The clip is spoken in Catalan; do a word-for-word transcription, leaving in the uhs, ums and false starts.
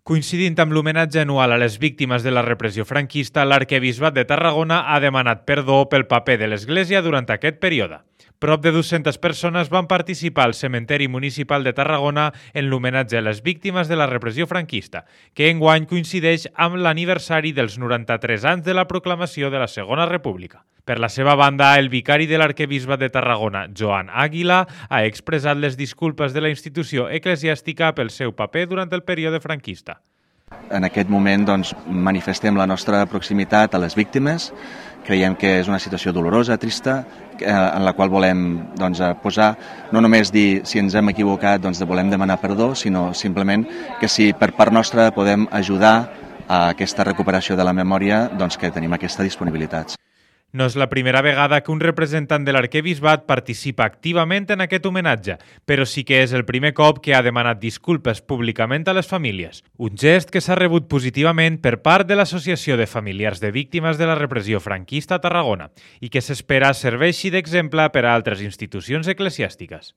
Coincidint amb l'homenatge anual a les víctimes de la repressió franquista, l'Arquebisbat de Tarragona ha demanat perdó pel paper de l'Església durant aquest període. Prop de dues-centes persones van participar al Cementeri Municipal de Tarragona en l'homenatge a les víctimes de la repressió franquista, que enguany coincideix amb l'aniversari dels noranta-tres anys de la proclamació de la Segona República. Per la seva banda, el vicari de l'Arquebisbat de Tarragona, Joan Àguila, ha expressat les disculpes de la institució eclesiàstica pel seu paper durant el període franquista. En aquest moment doncs, manifestem la nostra proximitat a les víctimes. Creiem que és una situació dolorosa, trista, en la qual volem doncs, posar, no només dir si ens hem equivocat, doncs volem demanar perdó, sinó simplement que si per part nostra podem ajudar a aquesta recuperació de la memòria, doncs que tenim aquesta disponibilitat. No és la primera vegada que un representant de l'Arquebisbat participa activament en aquest homenatge, però sí que és el primer cop que ha demanat disculpes públicament a les famílies. Un gest que s'ha rebut positivament per part de l'Associació de Familiars de Víctimes de la Repressió Franquista a Tarragona i que s'espera serveixi d'exemple per a altres institucions eclesiàstiques.